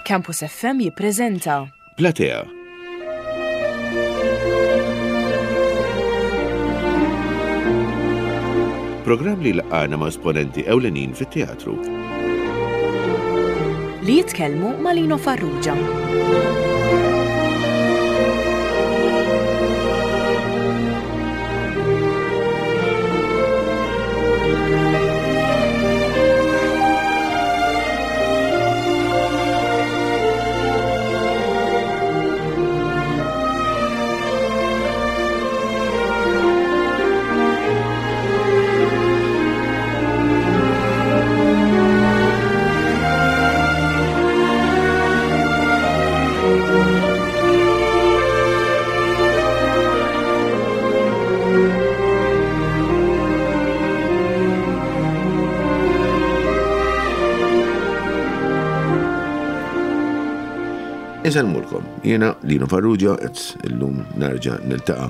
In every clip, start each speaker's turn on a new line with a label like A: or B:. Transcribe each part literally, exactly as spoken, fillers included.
A: Campus F M jippreżenta
B: Platea. Programm li laqana ma' esponenti ewlenin fit-teatru.
A: Li jitkellmu ma' Lino Farrugia.
B: Insellmulkom, jiena Lino Farrugia, qed illum nerġa' niltaqa'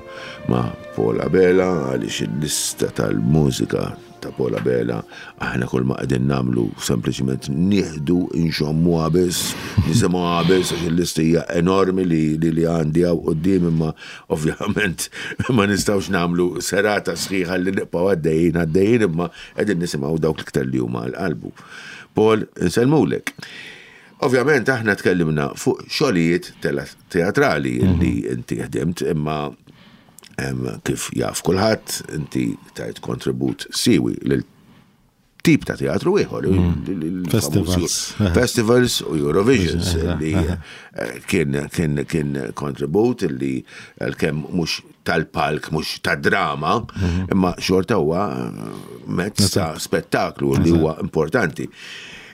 B: ma' Paul Abela għaliex il-lista tal-mużika ta' Paul Abela aħna kull ma qegħdin nagħmlu sempliċement nieħdu nxommuha biss, nisimgħuha biss għax il-lista hija enormi li li, li għandi hawn quddiem, imma ovvjament ma nistgħux nagħmlu serata sħiħa li nibqgħu għaddejjin għaddejjin, imma qegħdin nisimgħu dawk l-iktar li huma għal qalbu. Paul, insellmulek. Ovvjament aħna tkellimna fuq xogħlijiet teatrali li inti ħdimt, imma em, kif jaf kulħadd, inti tajt kontribut siwi lil tip ta' teatru ieħor, il- il- il-
C: Festivals.
B: Festivals u Eurovisions
C: Eżatt,
B: li eh, kien kien kien kontribut li għalkemm mhux tal-palk, mhux ta' drama, imma xorta huwa mezz ta' spettaklu li huwa importanti.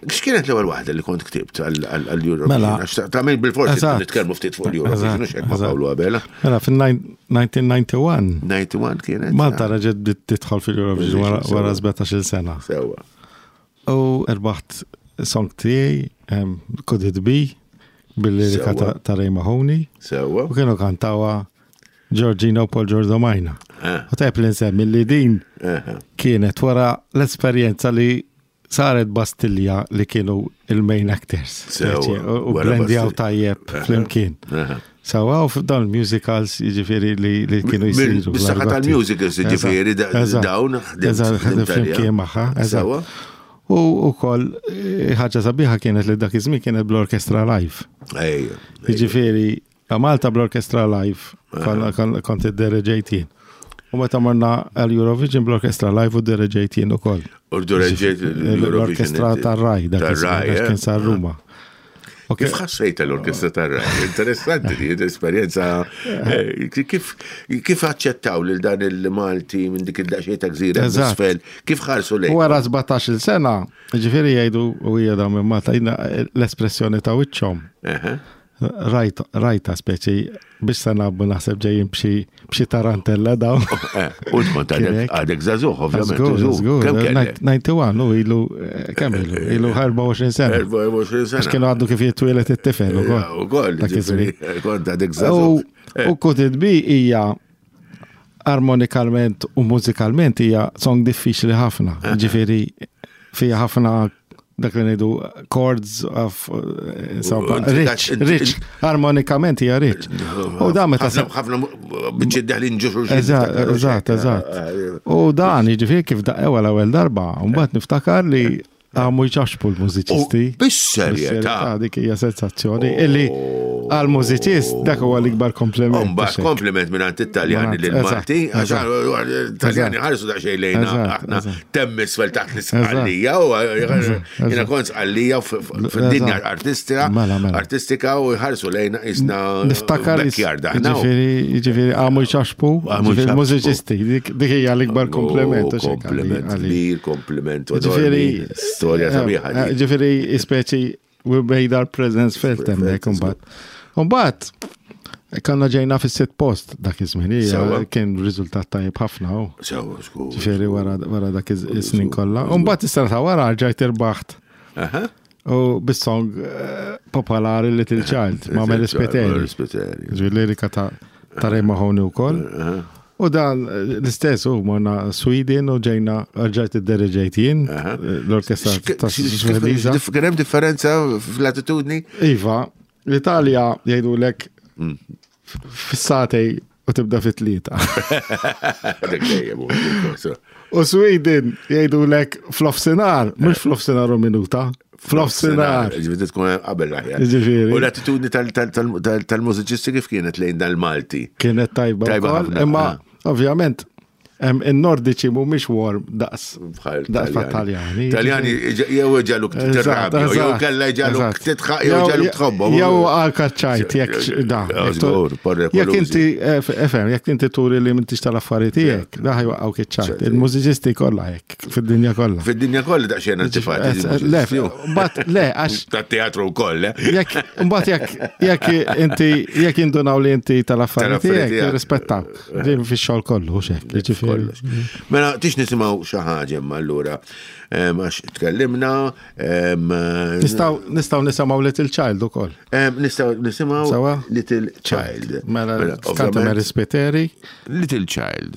B: X'kienet l-ewwel waħda li kont ktibt għall-Eurovision?
C: Mela.
B: Għax ta' min bil-forsi
C: Eżatt.
B: nitkellmu ftit fuq l-Eurovision,
C: Eżatt,
B: hux hekk ma'
C: eżatt.
B: Pawlu Abela.
C: Mela, fil-elf disa' mija u disgħa u disgħin
B: disgħa u disgħin kienet?
C: Malta reġgħet bdiet tidħol fil-Eurovision wara-
B: Sewwa.
C: wara sbatax-il sena.
B: Sewwa.
C: U rbaħt song tiegħi, em, Could It Be, bil-lirika
B: Sewwa.
C: ta' ta' Ray Mahoney.
B: Sewwa.
C: U kienu kantawha Georgina u Paul Giordomajna.
B: Ah.
C: U tajb li nsemmi li din
B: Aha.
C: kienet wara l-esperjenza li saret Bastilja li kienu il-main actors.
B: Sewwa,
C: Speċi, U u
B: wara
C: blendjaw
B: Bastilja.
C: tajjeb
B: Aha.
C: flimkien.
B: Aha.
C: Sewwa, u f'dawn il-musicals jiġifieri li, li kienu jisiru.
B: Bis-saħħa
C: bl-argotti.
B: tal-musicals, jiġifieri, da-
C: Eżatt,
B: dawn ħdimt-
C: Eżatt,
B: ħdimt
C: flimkien
B: għaliha.
C: magħha. Eżatt.
B: Sewwa.
C: U ukoll eh, ħaġa sabiħa kienet li dak iż-żmien kienet bl-orkestra live.
B: Ejja.
C: Jiġifieri, Malta bl-orkestra live, kon- kon- kont iddereġejt jien. U meta morna għal-Eurovision bl-orkestra live u ddereġejt jien ukoll.
B: U ddereġejt l-Eurovision
C: L-orkestra
B: inti.
C: tar-Rai, dak
B: Tar-Rai,
C: iż-żmien, għax
B: eh?
C: kien sar Ruma. U
B: Kif ħassejt l-orkestra tar-Rai? Interessanti di l-esperjenza. eh, Kif kif aċċettaw lil dan il-Malti minn dik id-daqsxejn ta' gżira
C: Eżatt.
B: isfel? Kif ħarsu lejn?
C: Wara sbatax-il sena, ġifieri jgħidu u hija dawn minn Malta, jiena l-espressjoni ta' wiċċhom.
B: Aha.
C: Rajt, rajta speċi biex se nabbu naħseb ġejjin b'xi b'xi tarantella dawn.
B: Eh, U tkont għadek
C: Kien hekk.
B: għadek żagħżugħ, ovvjament.
C: Żgur,
B: żagħżugħ.
C: żgur.
B: Kemm kellek?
C: disgħa u disgħin u ilu, eh, kemm ilu? Ilu erbgħa u għoxrin sena.
B: erbgħa u għoxrin
C: Għax
B: sena.
C: kienu għaddu kif jitwieled it-tifel ukoll.
B: Ja, Ukoll,
C: Dak iż-żmien.
B: ġifieri, kont għadek
C: U
B: żagħżugħ. Eh.
C: u Could It Be hija armonikalment u mużikalment hija song diffiċli ħafna. Ġifieri fija ħafna dak li ngħidu chords of eh, insomma,
B: U-
C: rich,
B: inti-
C: rich, armonikament hija rich. U dan meta
B: ħafna ħafna biċċiet deħlin ġo xulxin.
C: Eżatt, eżatt, eżatt. U dan, jiġifieri kif daqqew l-ewwel darba, u mbagħad niftakar li għamu jċaxpu l-mużiċisti.
B: U bis-serjetà.
C: Dik hija sensazzjoni illi għal-mużiċist dak huwa l-ikbar kompliment.
B: Umba, kompliment minn għand it-Taljani
C: Minn
B: lil
C: għand-
B: Malti,
C: eżatt,
B: għax Taljani ħarsu daqsxejn lejna,
C: Eżatt,
B: aħna
C: eżatt.
B: temm isfel taħt l-Isqallija, u jiena kont Sqallija fid-dinja
C: Eżatt.
B: artistika,
C: Mela, mela.
B: artistika u ħarsu lejna jisna
C: Niftakar
B: backyard aħna.
C: Ġifieri, ġifieri għamu jċaxpu,
B: Għamu
C: ġifieri
B: jċaxpu.
C: mużiċisti, dik dik hija l-ikbar kompliment.
B: Oh,
C: u xek għali-
B: Kompliment
C: għali.
B: kbir, kompliment
C: Ġifieri,
B: enormi, storja sabiħa.
C: eh,
B: di.
C: Ġifieri, speċi, we made our presence felt hemmhekk imbagħad. Imbagħad, konna ġejna fis-sitt post dak iż-żmien, hija
B: Sewwa.
C: kien riżultat tajjeb ħafna. u.
B: Sewwa, żgur.
C: Ġifieri wara wara dak iż-snin kollha. U mbagħad is-sena ta' wara rġajt irbaħt.
B: Aha.
C: U bis-song eh, popolari Little Child ma' Mary Spiteri.
B: Mary Spiteri.
C: Ġifieri lirika ta' ta' Ray Mahoney wkoll. U dan eh, l-istess u morna Sweden u ġejna rġajt id-diriġejt jien,
B: Aha.
C: eh, l-orkestra ta' Svediża.
B: Kien hemm differenza fl-attitudni?
C: Iva, l-Italja jgħidulek
B: Mm.
C: fis-sagħtejn u tibda fit-tlieta.
B: Dak dejjem hu.
C: U Sweden jgħidulek f'nofsinhar, mhux f'nofsinhar u minuta, f'nofsinhar.
B: Ġifieri tkun qabel l-aħjar.
C: Ġifieri.
B: U l-attitudni tal- tal- tal- tal- tal-mużiċisti kif kienet lejn dal-Malti?
C: Kienet tajba
B: Tajba
C: wkoll,
B: ħafna,
C: imma
B: ah.
C: ovvjament em, in-Nordiċi mhumiex warm daqs
B: Bħal
C: daqs Taljani.
B: Taljani jew ġaluk
C: Eżatt,
B: tirrabja, jew
C: eżatt,
B: kella ġaluk
C: eżatt.
B: titħaq, jew ġaluk tħobbhom.
C: Jew għal-kaċċajt, jekk da.
B: Jew żgur, porre
C: Jekk
B: kolużi.
C: inti, eh, FM, jekk inti turi li m'intix tal-affarijiet tiegħek, da ħa jwaqqgħuk iċ-ċajt. Il-mużiċisti kollha hekk, fid-dinja kollha.
B: Fid-dinja kollha daqsxejn antipatiċi.
C: Eh, Le, but le, għax
B: Tat-teatru wkoll, eh?
C: jekk mbagħad jekk jekk inti jekk indunaw li inti tal-affarijiet
B: Tal-affarijiet
C: tiegħek
B: tiegħek.
C: jirrispettaw. Din fix-xogħol kollu hux hekk, jiġifieri.
B: Kollox. Mela, tix nisimgħu xi ħaġa imma allura em, għax tkellimna, em,
C: Nistgħu nistgħu nisimgħu Little Child ukoll.
B: em, nistgħu nisimgħu
C: Sawa?
B: Little Child.
C: Mela kanta
B: ovvjament,
C: Mary Spiteri.
B: Little Child.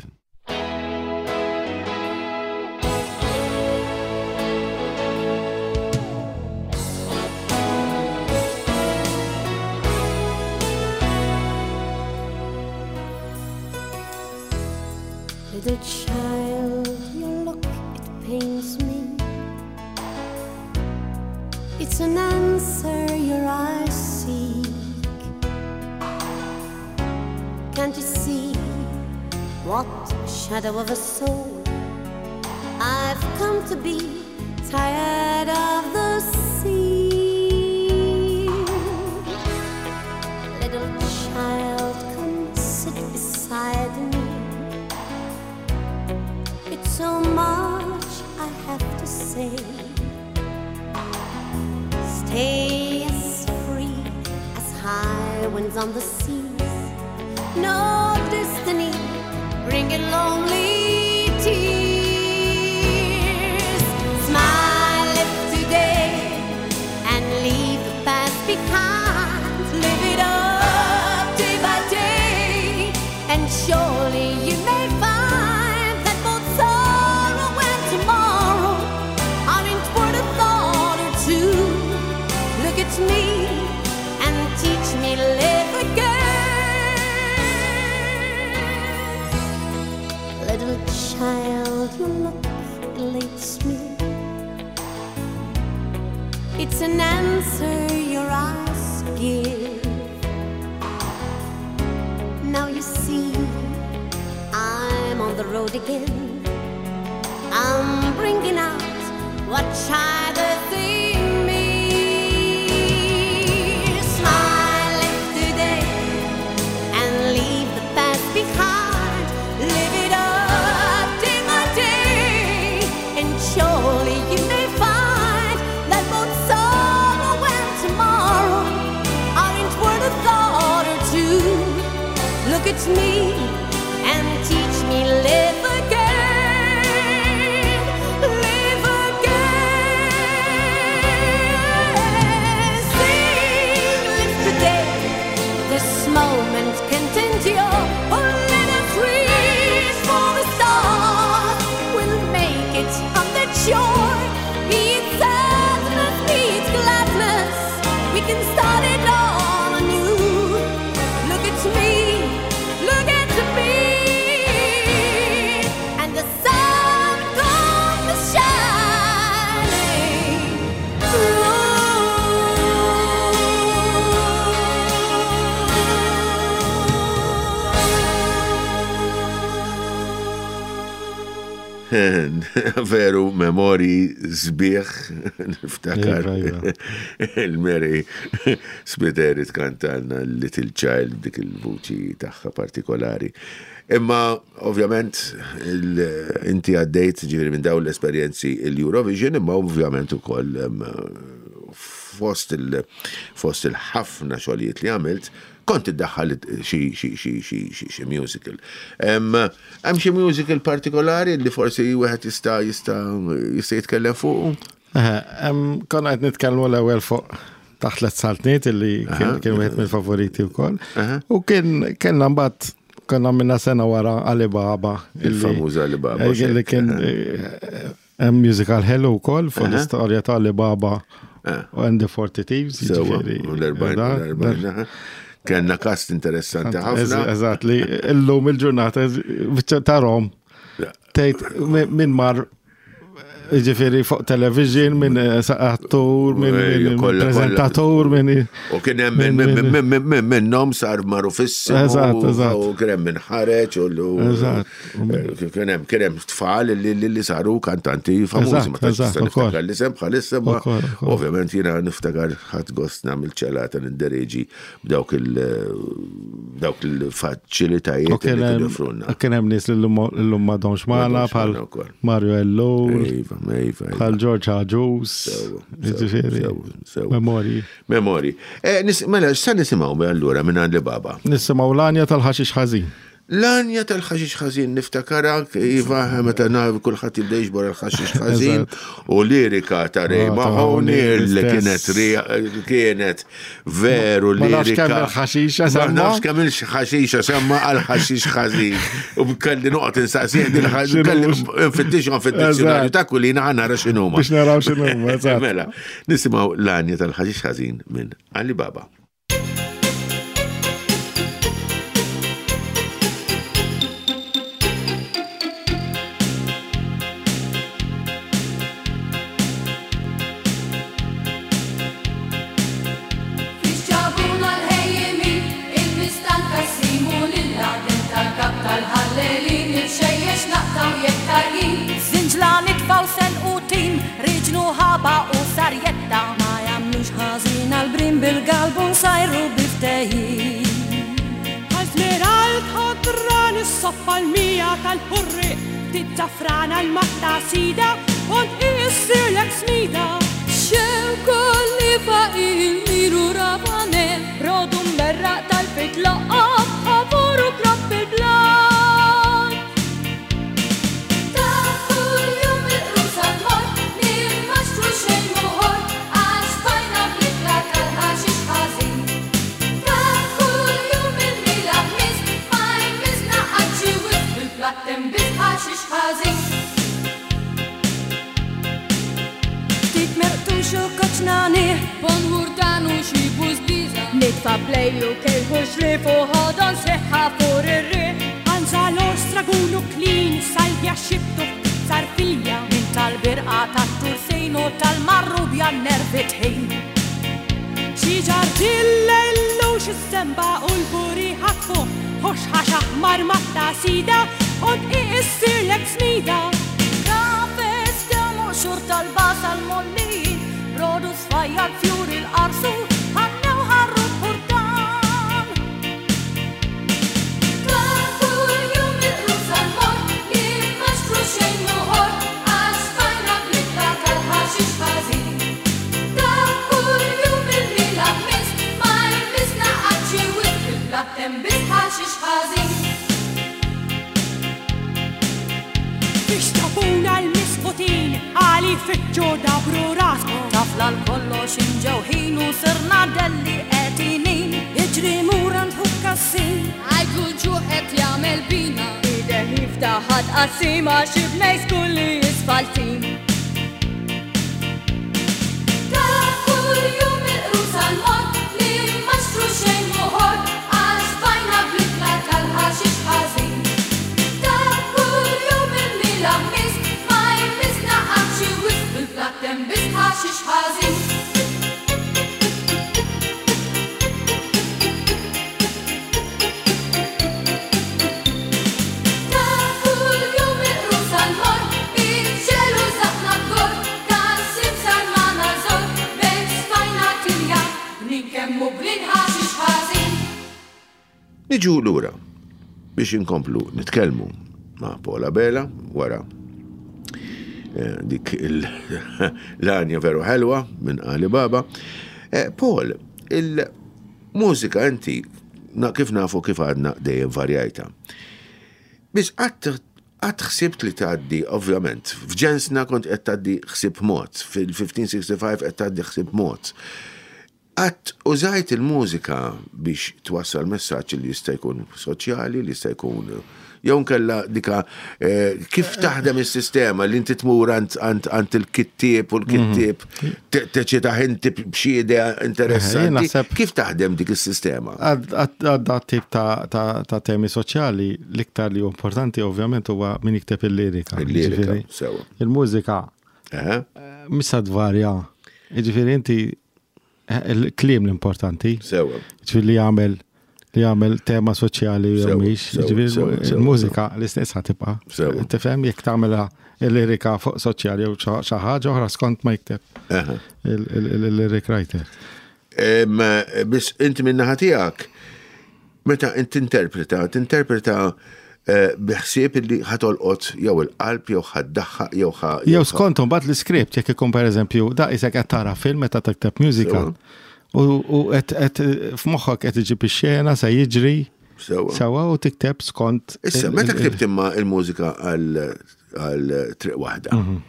D: Little child, your look, it pains me. It's an answer your eyes seek. Can't you see what shadow of a soul I've come to be? Tired of the sea. Little child, come sit beside me. It's so much I have to say. Stay as free as high winds on the seas. No destiny bringing lonely tears. Smile if today and leave the past behind. Live it up day by day, and surely you may find that both sorrow and tomorrow aren't worth a thought or two. Look at me and teach me live again. Little child, your look elates me. It's an answer your eyes give. Now you see, I'm on the road again. I'm bringing out what child is in me. Smile if today and leave the past behind. Live it up day by day, and surely you may find that both sorrow and tomorrow aren't worth a thought or two. Look at me and teach me live again, live again. Sing, live today. This moment continue. Oh, let us reach for the stars. We'll make it on the shore. Be it sadness, be it gladness, we can start it all anew. Look at me, look at me, and the sun comes shining
B: Veru, memori sbieħ, niftakar
C: Iva, iva.
B: il-Mary Spiteri tkantalna Little Child dik il-vuċi tagħha partikolari. Imma, ovvjament, il- inti għaddejt ġifieri minn dawn l-esperjenzi il-Eurovision, imma ovvjament ukoll em, fost il- fost il-ħafna xogħlijiet li għamilt, kont iddaħħal xi xi xi xi xi xi musical. Em, Hemm xi musical partikolari li forsi wieħed jista' jista' jista' jitkellem fuq?
C: Eħe, em, Konna qed nitkellmu l-ewwel fuq taħt tliet saltniet illi kien kien wieħed mill-favoriti wkoll.
B: Aha.
C: U kien kellna mbagħad Konna minna sena wara Alibaba.
B: Il-famuż Alibaba.
C: Eh, li kien eh, musical hello wkoll fuq l-istorja ta' Alibaba u and the Forty Thieves.
B: Sewa, l-erbgħin. Kenna cast interessanti ħafna.
C: Eżatt, li illum il-ġurnata tarom. Tgħid min mar, ġifieri fuq television, minn attur, minn prezentatur, minn.
B: U kien hemm minn minnhom sar magħrufissimu.
C: Eżatt, eżatt.
B: U kien hemm min ħareġ u
C: Eżatt.
B: kien hemm kien hemm tfal li li saru kantanti famużi, ma tantx
C: Eżatt, ukoll.
B: niftakar l-isem bħalissa, ma
C: Ukoll, ukoll.
B: ovvjament jiena niftakar ħadd gost nagħmel ċelata niddereġi b'dawk il dawk il-faċilitajiet
C: U
B: li
C: kien
B: kienu
C: hemm
B: joffrulna.
C: kien hemm nies li llum llum m'għadhomx magħna
B: M'għadhomx
C: bħal
B: magħna wkoll.
C: Mario Ellul,
B: Iva, iva, iva.
C: bħal George Agius,
B: Sewa,
C: ġifieri,
B: sewa, sewa.
C: memorji.
B: Memori. Eh, nis- Mela, sa nisimgħu allura minn Alibaba?
C: Nisimgħu l-għanja tal-ħaxix ħażin.
B: L-għanja tal-ħaxix ħażin niftakara, iva, meta naf kulħadd jibda jiġbor il-ħaxix ħażin u lirika ta' Ray
C: Ah, ta'
B: Mahoney li
C: l-istess.
B: kienet ri- kienet veru
C: Ma nafx
B: lirika.
C: kemm il-ħaxixa
B: Ma
C: semma.
B: nafx kemm il-ħaxixa semma għal ħaxix ħażin. U kelli noqgħod insaqsih din il-ħaxix, kelli nfittixhom fid-dizzjonarju
C: Eżatt.
B: ta' kulina ħa nara x'inhuma.
C: Biex naraw x'inhuma, eżatt.
B: Mela, nisimgħu l-għanja tal-ħaxix ħażin minn Alibaba.
D: Fix ġabuna l-ħejjimin, il-mistanka jsimu lill-għadem tal-kap tal-ħallelin, il-xejjex naqtaw jekk tarjin.
E: Zinġla nitfaw sen u tim, riġnu ħaba u sarjetta.
D: Ma jagħmlux ħażin għal-brim bil-galbu nsajru biftejjin.
F: Għal-fneral ħadran is-soffa l-mija tal-ħurri, tizzafrana l-matta sida, und issirlek smida.
D: Xew kolli faqil miru rabane,
E: Rodu mberraq tal-fit laqab, ħavuru kropp il-blat.
D: Ta' kuljum il-qrusa tmur, li ma xtru xejn muħor, għax bajna bl-ikla tal-ħaxix ħażin. Ta' kuljum il-mila ħmis, ma jmisna qatt xi wisq bil-platt hemm biss ħaxix ħażin.
E: Ftit merqtux u koċnani,
D: Bon hurtanu xi bużbiża,
E: nitfa plejlu kejħu xrif u ħodon sħiħa fur ir-riħ.
F: Anzalo stragunu klin, salvja xibtu sarfilja.
E: Min tal-birqa tat-tursin u tal-marrubja nervi tħin.
F: Xi ġarġilla illux is-semba u l-buri ħatfu, ħox ħax aħmar matta sida, und issirlek smida.
E: Kafes demu xur tal-basal molli, brodu sfajjar fjur il-qarsu, ħannew ħarru purtan.
D: Ta' kuljum il-qrusa tmur, li ma xtru xejn muħor, għax bajna bl-ikla tal-ħaxix ħażin. Ta' kuljum il-mila ħmis, ma jmisna qatt xi wisq bil-platt hemm biss ħaxix ħażin.
F: Biex tabuna l-misfutin, għali fitxu dabru raskom.
E: Tafla l-kollox imġewħin u sirna delli qegħdinin.
D: Iġri mura nħuk kassin, għajtu l-ġuħ qed jagħmel bina.
E: Ideh jiftaħat qasima xi bnejs kulli jisfaltin.
D: Ta' kuljum il-qrusa l-mor, li ma xtru xejn muħor, għax bajna bl-ikla tal-ħaxix ħażin. Ta' kuljum il-mila ħmis, ma jmisna qatt xi wisq bil-platt hemm biss ħaxix ħażin. Ta' kuljum il-qrusa l-mor, il-ġelu zaħna d-gor, kassim sarmana zor, bejn sfajna tilja, bnin kemmu bnin ħaxix ħażin.
B: Niġu lura biex inkomplu nitkellmu ma' Paul Abela wara eh, dik il- l-għanja veru ħelwa minn Alibaba. Eh, Paul, il-mużika inti na, kif nafu kif għadna dejjem varjajta. Biss qatt qatt ħsibt li tgħaddi, ovvjament, f'ġensna kont qed tgħaddi ħsieb mod, fil-fifteen sixty-five qed tgħaddi ħsieb mod. Qatt użajt il-mużika biex twassal messaġġ li jista' jkun soċjali, li jista' jkun jew nkella dika eh, kif taħdem is-sistema li inti tmur għand għand għand il-kittieb u l-kittieb te- teċitaħ inti b'xi idea
C: Jien
B: interessanti.
C: naħseb-
B: Kif taħdem dik is-sistema?
C: Għadda tip ta' ta' ta' temi soċjali, l-iktar li hu importanti ovvjament huwa min jikteb il-lirika.
B: Il-lirika,
C: Ġifieri,
B: sewa.
C: Il-mużika
B: Eħe,
C: missa tvarja. Ġifieri inti eh, il-kliem l-importanti.
B: Sewa.
C: Ġifieri li jagħmel li jagħmel tema soċjali jew
B: Sewa,
C: mhix.
B: sewa,
C: Ġifieri
B: sewa, sewa,
C: il-mużika l-istess ħa tibqa'.
B: Sewa.
C: Tifhem jekk tagħmilha il-lirika fuq soċjali jew xi xi ħaġa oħra skont ma jikteb
B: Eħe.
C: il-lyric writer.
B: Em, Biss inti min-naħa tiegħek, meta inti tinterpreta, tinterpreta eh, biħsieb li ħa tolqot jew il-qalb jew ħa ddaħħaq jew ħa.
C: Jew skont mbagħad l-iskript jekk ikun pereżempju da isek qed tara film meta tikteb musical. U u qed qed f'moħħok qed iġib ix-xena se jiġri
B: Sewa.
C: sewa u tikteb skont.
B: Issa,
C: il-
B: meta
C: il-
B: ktibt imma il-mużika għal għal triq waħda.
C: Mhm.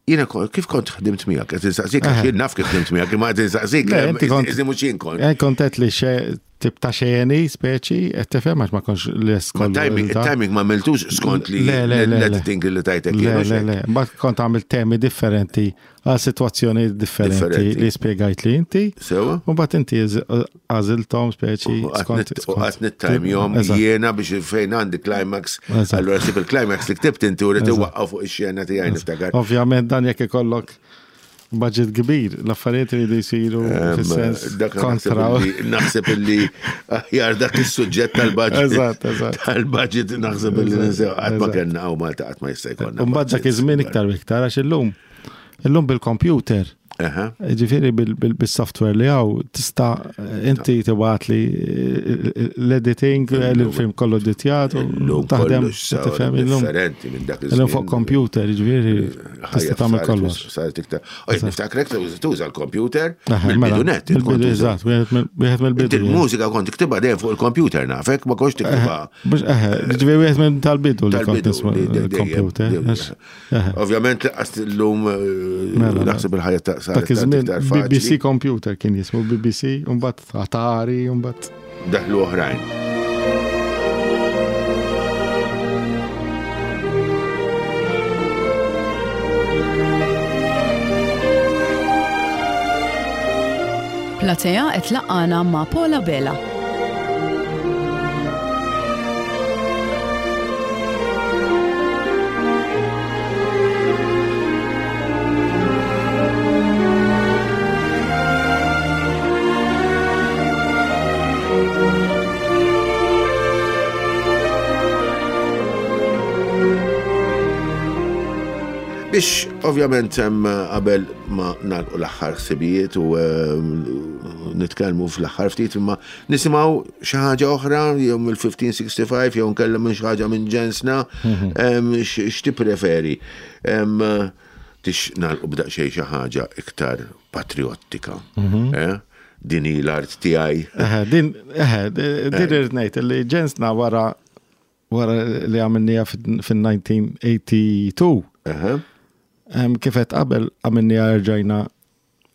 B: Jiena kon- kif kont ħdimt miegħek? Qed insaqsik għax jien naf kif ħdimt miegħek, imma qed insaqsik.
C: Le, inti kont-
B: Iżda mhux jien kont.
C: Eh, kont qed li xe tip ta' xeni speċi qed tifhem għax ma kontx lest
B: Ma
C: kollu
B: timing,
C: da.
B: timing ma miltux skont li
C: Le, le, le, le.
B: l-editing li tajtek
C: Le,
B: jien,
C: le,
B: hekk?
C: le, mbagħad kont għamil temi differenti għal sitwazzjoni differenti
B: Differenti.
C: li spjegajt li inti.
B: Sewa?
C: U mbagħad inti għażilthom speċi
B: U
C: skont.
B: U għat nittajmjom
C: Eżatt.
B: jiena biex fejn għandi climax,
C: Eżatt.
B: allora sib il-climax li ktibt inti u rrid iwaqqaw fuq ix-xena tiegħi niftakar.
C: Ovvjament dan jekk ikollok budget kbir, l-affarijiet iridu jsiru fis-sens
B: Dak naħseb
C: kontra.
B: illi- naħseb illi aħjar dak is-suġġett tal-budget.
C: Eżatt, eżatt.
B: Tal-budget naħseb illi ninsew qatt ma
C: Eżatt.
B: kellna hawn Malta qatt ma jista' jkollna.
C: U mbagħad dak
B: budgets.
C: iż-żmien iktar u iktar għax illum illum bil-computer
B: Aha.
C: Ġifieri bil- bil- bil-software li għaw, tista inti tibgħat li l-editing, il-film kollu editjat, u
B: Illum
C: taħdem,
B: kollox sar
C: tifhem illum.
B: differenti minn dak
C: Illum fuq
B: iż-żmien.
C: computer, ġifieri tista' tagħmel kollox.
B: Saret iktar. Oj, niftakrek tuża l-computer
C: Eħe, mela,
B: mill-bidu net. int kont
C: Mill-bidu,
B: tuża.
C: eżatt, wieħed mill- wieħed mill-bidu.
B: Inti l-mużika kont tiktibha dejjem fuq il-computer nafek, ma kontx tiktibha
C: Mhux eħe, ġifieri wieħed minn tal-bidu li kont
B: tal-bidu.
C: nisma'
B: li- dejjem,
C: l-computer.
B: dejjem.
C: għax- eħe.
B: Ovvjament laqas illum eh,
C: Mela,
B: naħseb il-ħajja ta' saret
C: Dak iż-żmien
B: iktar
C: B B C
B: faċli.
C: computer kien jismu B B C, u mbagħad Atari, u mbagħad
B: Daħlu oħrajn.
A: Platea qed laqana ma' Paul Abela.
B: Biex ovvjament hemm qabel ma nagħlqu l-aħħar ħsibijiet u ehm, nitkellmu fl-aħħar ftit imma nisimgħu xi ħaġa oħra jew mill-fifteen sixty-five jew nkellem minn xi ħaġa minn ġensna ehm, x- x'tippreferi. Ehm, Tix nagħlqu b'daqsxejn xi ħaġa iktar patriottika. Eh? Din hi l-art tiegħi.
C: Eħe, din, eħe, din irrid ngħid li ġensna wara wara li għamilnija fin-elf disa' mija u tnejn u tmenin.
B: Eħe.
C: Em, Kif qed qabel għamilnija rġajna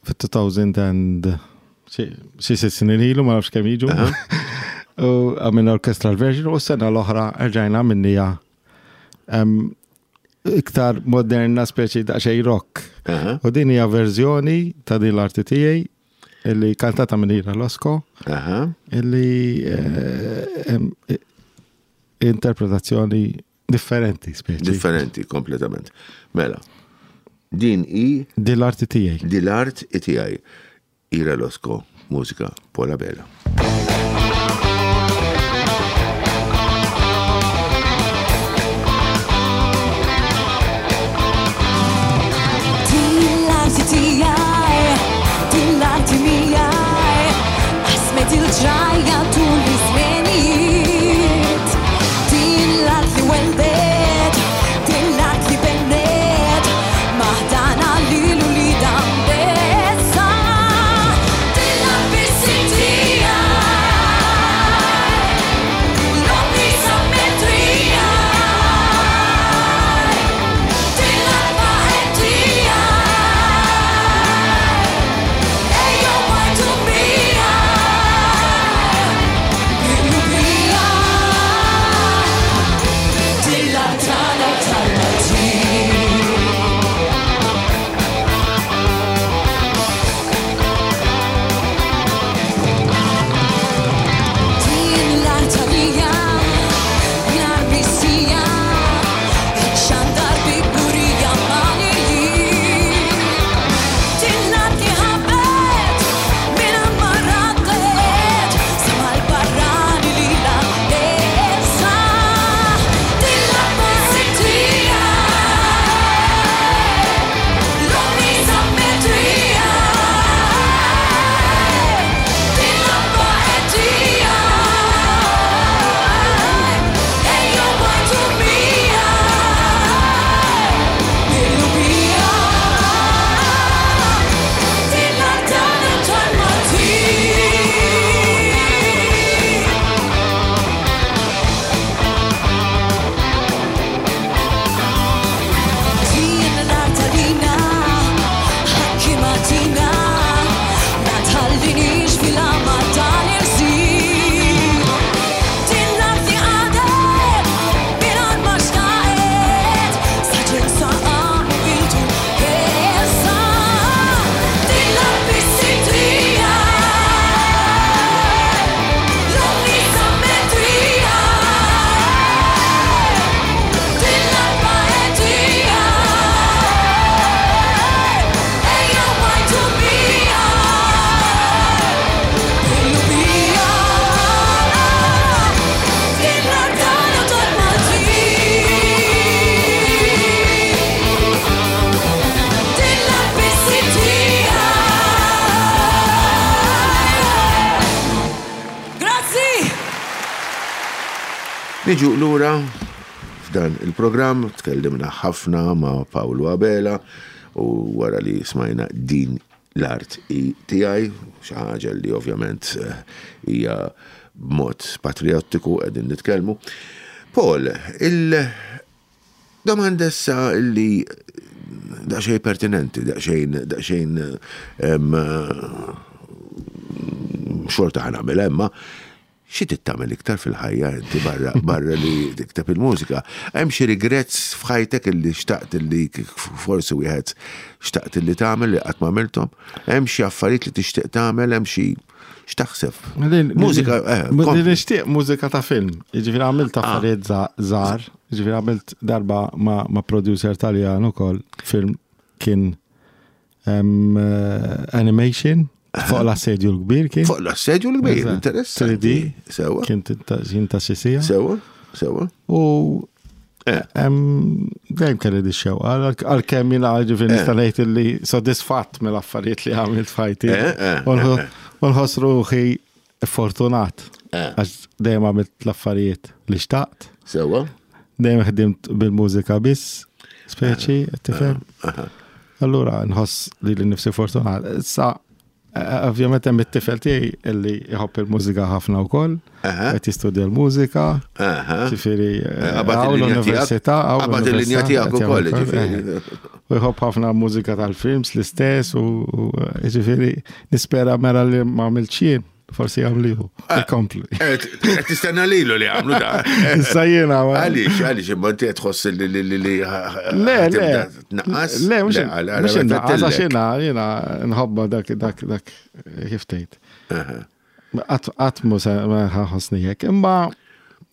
C: fit-elfejn and xi xi sitt snin ilu, ma nafx kemm jiġu. U għamilna orchestral version u s-sena l-oħra rġajna għamilnija em, iktar moderna, speċi daqsxejn rock.
B: Eħe.
C: U din hija verżjoni ta' din l-arti tiegħi illi kantata minn Ira Losco
B: Eħe.
C: illi eh, em, eh, interpretazzjoni differenti speċi.
B: Differenti kompletament. Mela. Din hi
C: Din l-arti tiegħi.
B: Di l-art tiegħi. Ira Losco, mużika Paul Abela.
D: Din l-arti tiegħi, din l-arti miegħi, qasmet il-ġrajja tul iż-żmenijiet. Din l-art li weldet, din l-art li bennet, maħdana lilu li dan bessa. Din l-art biss tiegħi,
B: Niġu lura f'dan il-programm, tkellimna ħafna ma' Paolo Abela u wara li smajna Din l-art hi tiegħi, xi ħaġa li ovvjament eh, hija b'mod patriottiku qegħdin nitkellmu. Paul, il-domanda issa li daqsxejn pertinenti, daqsxejn daqsxejn em, xorta ħa nagħmel imma xi tagħmel iktar fil-ħajja inti barra barra li tikteb il-mużika? Hemm xi regrets f'ħajtek illi xtaqt illi forsi wieħed xtaqt illi tagħmel li qatt ma għamilthom? Hemm xi affarijiet li tixtieq tagħmel, hemm xi x'taħseb? Mużika, eh,
C: Li
B: kompli.
C: nixtieq mużika ta' film. Jiġifieri għamilt affarijiet żgħar, jiġifieri għamilt darba ma' ma' producer Taljan ukoll film kien em, eh, animation fuq l-assedju l-kbir kien.
B: Fuq l-assedju l-kbir,
C: Eżatt.
B: interessanti.
C: three D.
B: Sewa,
C: Kien ta' kien ta' xi siegħa.
B: sewa, sewa.
C: U
B: Eh.
C: em, dejjem kelli di xewqa, għalkemm jiena ġifieri
B: Eh.
C: nista' ngħid li sodisfatt mill-affarijiet li għamilt f'ħajti.
B: Eh, eh,
C: U nħo- U nħoss ruħi fortunat.
B: Eh.
C: Għax dejjem għamilt l-affarijiet li xtaqt,
B: Sewa.
C: dejjem ħdimt bil-mużika biss, speċi, tifhem. Allura nħoss li li nifsi fortunat. Issa, eh, ovvjament hemm it-tifel tiegħi illi jħobb il-mużika ħafna wkoll,
B: Aha.
C: qed jistudja l-mużika.
B: Aha.
C: Ġifieri, eh,
B: Qabad
C: hawn
B: il-linja
C: l-università,
B: tiegħek.
C: hawn
B: Qabad il-linja
C: l-università,
B: tiegħek
C: qed
B: ukoll,
C: jagħmel
B: ġifieri.
C: eh. U jħobb ħafna mużika tal-films l-istess u u, eh, ġifieri nispera mera li ma għamiltx jien, forsi jagħmlihu, ikompli.
B: Eh, qed tistenna lilu li għamlu da.
C: Issa jiena ma-
B: Għaliex, għaliex, imma inti qed tħoss li li li li
C: Le, le.
B: Tnaqqas?
C: Le, mhux
B: għal- għal-
C: mhux innaqqas, għax
B: għal-
C: jiena jiena nħobba dak dak dak kif tgħid. Qatt qatt mhu se ma ħossni hekk, imma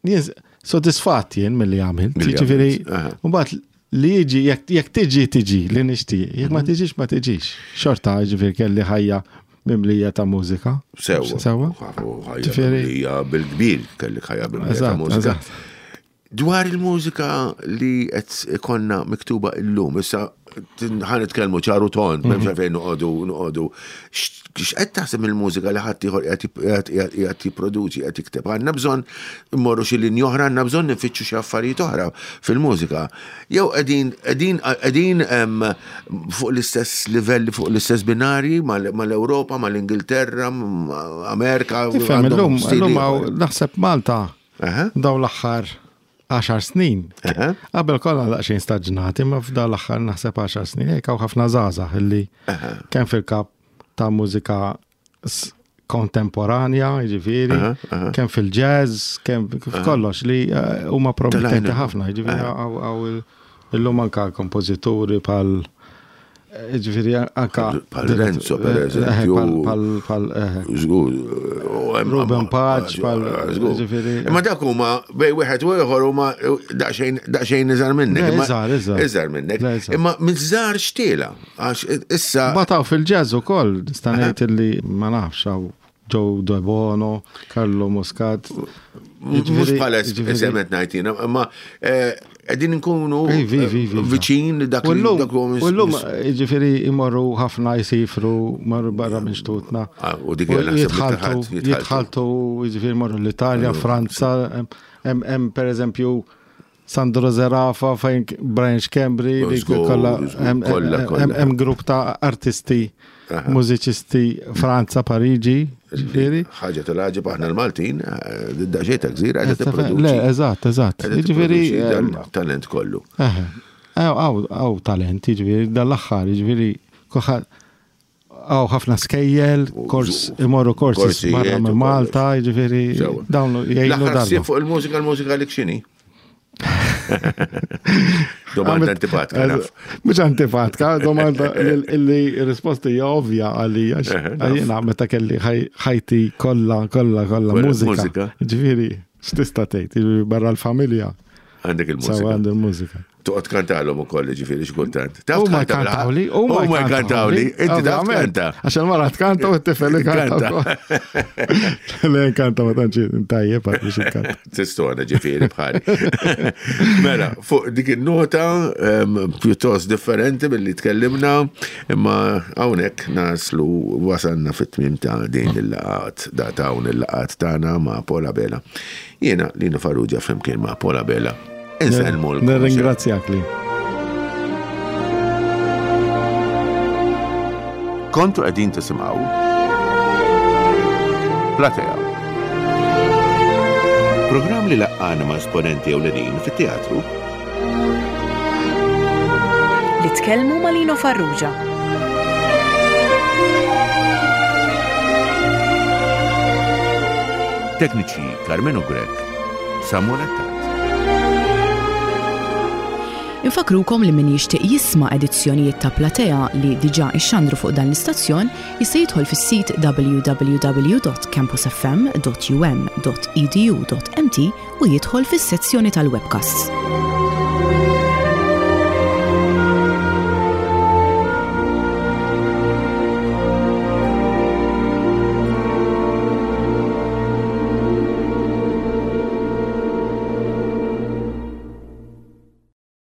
C: jien sodisfatt jien milli għamilt.
B: Milli
C: Jiġifieri,
B: għamilt, aha.
C: mbagħad li jiġi jekk jekk tiġi tiġi li nixtieq, jekk ma
B: Mhm.
C: tiġix ma tiġix. Xorta jiġifieri kelli ħajja mimlija ta' mużika.
B: Sewa.
C: Sewa.
B: Ħajja
C: Ġifieri-
B: mimlija bil-kbir kellek ħajja mimlija ta'
C: Eżatt,
B: mużika.
C: eżatt.
B: Dwar il-mużika li qed ikonna miktuba illum, issa ħa nitkellmu ċaru tond, m'hemmx għalfejn noqogħdu noqogħdu. X'qed taħseb il-mużika li ħadd ieħor qiegħed qiegħed jipproduċi, qiegħed jikteb. Għandna bżonn immorru xi linji oħra, għandna bżonn nifittxu xi affarijiet oħra fil-mużika. Jew qegħdin qegħdin qegħdin em, fuq l-istess livelli, fuq l-istess binari mal-Ewropa, mal-Ingilterra, ma' Amerika.
C: Tifhem
B: għandhom
C: illum
B: stili
C: illum
B: ieħor.
C: hawn naħseb Malta
B: Aha.
C: daw l-aħħar għaxar snin.
B: Aha.
C: Qabel kollha daqsxejn staġnati, imma f'daw l-aħħar naħseb għaxar snin hekk hawn ħafna żgħażagħ illi kemm fil-kap ta' mużika s- kontemporanja, jiġifieri, kemm fil-jazz, kemm f'kollox li eh, huma promettenti
B: Telajna.
C: ħafna, jiġifieri hawn hawn il- illum anka kompożituri pal eh, jiġifieri anka
B: Pal Renzo, per
C: Eh,
B: eżempju.
C: pal pal pal eh,
B: Żgur. u hemm-
C: Ruben Paċ, pal-
B: Żgur.
C: ġifieri-
B: Imma dak huma bej wieħed u ieħor huma daqsxejn daqsxejn iżgħar minnek.
C: Le,
B: Imma-
C: iżgħar, iżgħar.
B: Iżgħar minnek.
C: Le, iżgħar.
B: Imma minn żgħar xtiela għax issa
C: Bataw fil-jazz ukoll, nista' ngħid illi ma nafx hawn Joe Debono, Carlo Muscat.
B: mhux
C: Jiġifieri-
B: bħala
C: jiġifieri-
B: esemet ngħid jiena, imma eh, qegħdin nkunu
C: Ivi, ivi, ivi.
B: viċin dak
C: U
B: li
C: llum,
B: dak li
C: u llum, ġifieri imorru ħafna jsifru, marru barra minn xtutna.
B: Ah, u dik hija naħseb li
C: jitħaltu,
B: taħat, jitħaltu.
C: jitħaltu, ġifieri morru l-Italja, Franza, hemm hemm per eżempju Sandro Zerafa, fejn Brian Schembri, li
B: Żgur,
C: kollha
B: żgur,
C: hemm-
B: kollha,
C: hemm-
B: kollha.
C: hemm grupp ta' artisti, mużiċisti Franza, Pariġi, ġifieri.
B: ħaġa tal-ħaġa aħna l-Maltin, eh, daqsxejn ta' gżira qiegħda tipproduċi.
C: Le, eżatt, eżatt.
B: Qiegħda
C: Ġifieri,
B: tipproduċi dan talent kollu.
C: Eħe. Hawn hawn talent, jiġifieri dal-aħħar, jiġifieri kulħadd hawn ħafna skejjel, kors imorru korsi
B: Korsijiet
C: barra
B: u
C: minn Malta, jiġifieri
B: Sewa.
C: dawn jgħinu
B: L-aħħar ħsieb
C: darba.
B: fuq il-mużika, l-mużika li x'inhi? Domanda antipatika, naf.
C: Mhux antipatika, domanda illi risposta hija ovvja għalija għax
B: Eħe, naf.
C: jiena meta kelli ħaj- ħajti kollha kollha kollha
B: Kollha
C: mużika.
B: mużika.
C: Ġifieri, x'tista' tgħid, jiġifieri barra l-familja
B: Għandek
C: sawa
B: il-mużika.
C: għandi l-mużika.
B: Toqgħod kantalhom ukoll, ġifieri xi kultant. Taf
C: U ma
B: tkanta bil-ħaqq?
C: kantawli,
B: U ma jkantawli. Inti taf
C: Ovvjament.
B: tkanta.
C: Għax il-mara tkanta u t-tifel
B: Kanta.
C: kanta. Le kanta ma tantx tajjeb għad biex inkanta.
B: Tistona ġifieri bħali. Mela, fuq dik il-nota em, pjuttost differenti billi tkellimna, imma hawnhekk naslu wasalna fit-tmiem ta' din il-laqat, da ta' hawn il-laqat tagħna ma' Paul Abela. Jiena Lino Farrugia flimkien ma' Paul Abela. Insellmu
C: Nirringrazzjak li.
B: Kontu qegħdin tisimgħu Platea. Programm li laqqana ma' esponenti ewlenin fit-teatru
A: Li tkellmu ma' Lino Farrugia.
B: Tekniċi Carmenu Grek, Samuel Attard.
A: Infakrukom li min jixtieq jisma' edizzjonijiet ta' Platea li diġà ixxandru fuq dan l-istazzjon jista' jidħol fis-sit w w w dot campusfm dot u m dot e d u dot m t u jidħol fis-sezzjoni tal-webcasts.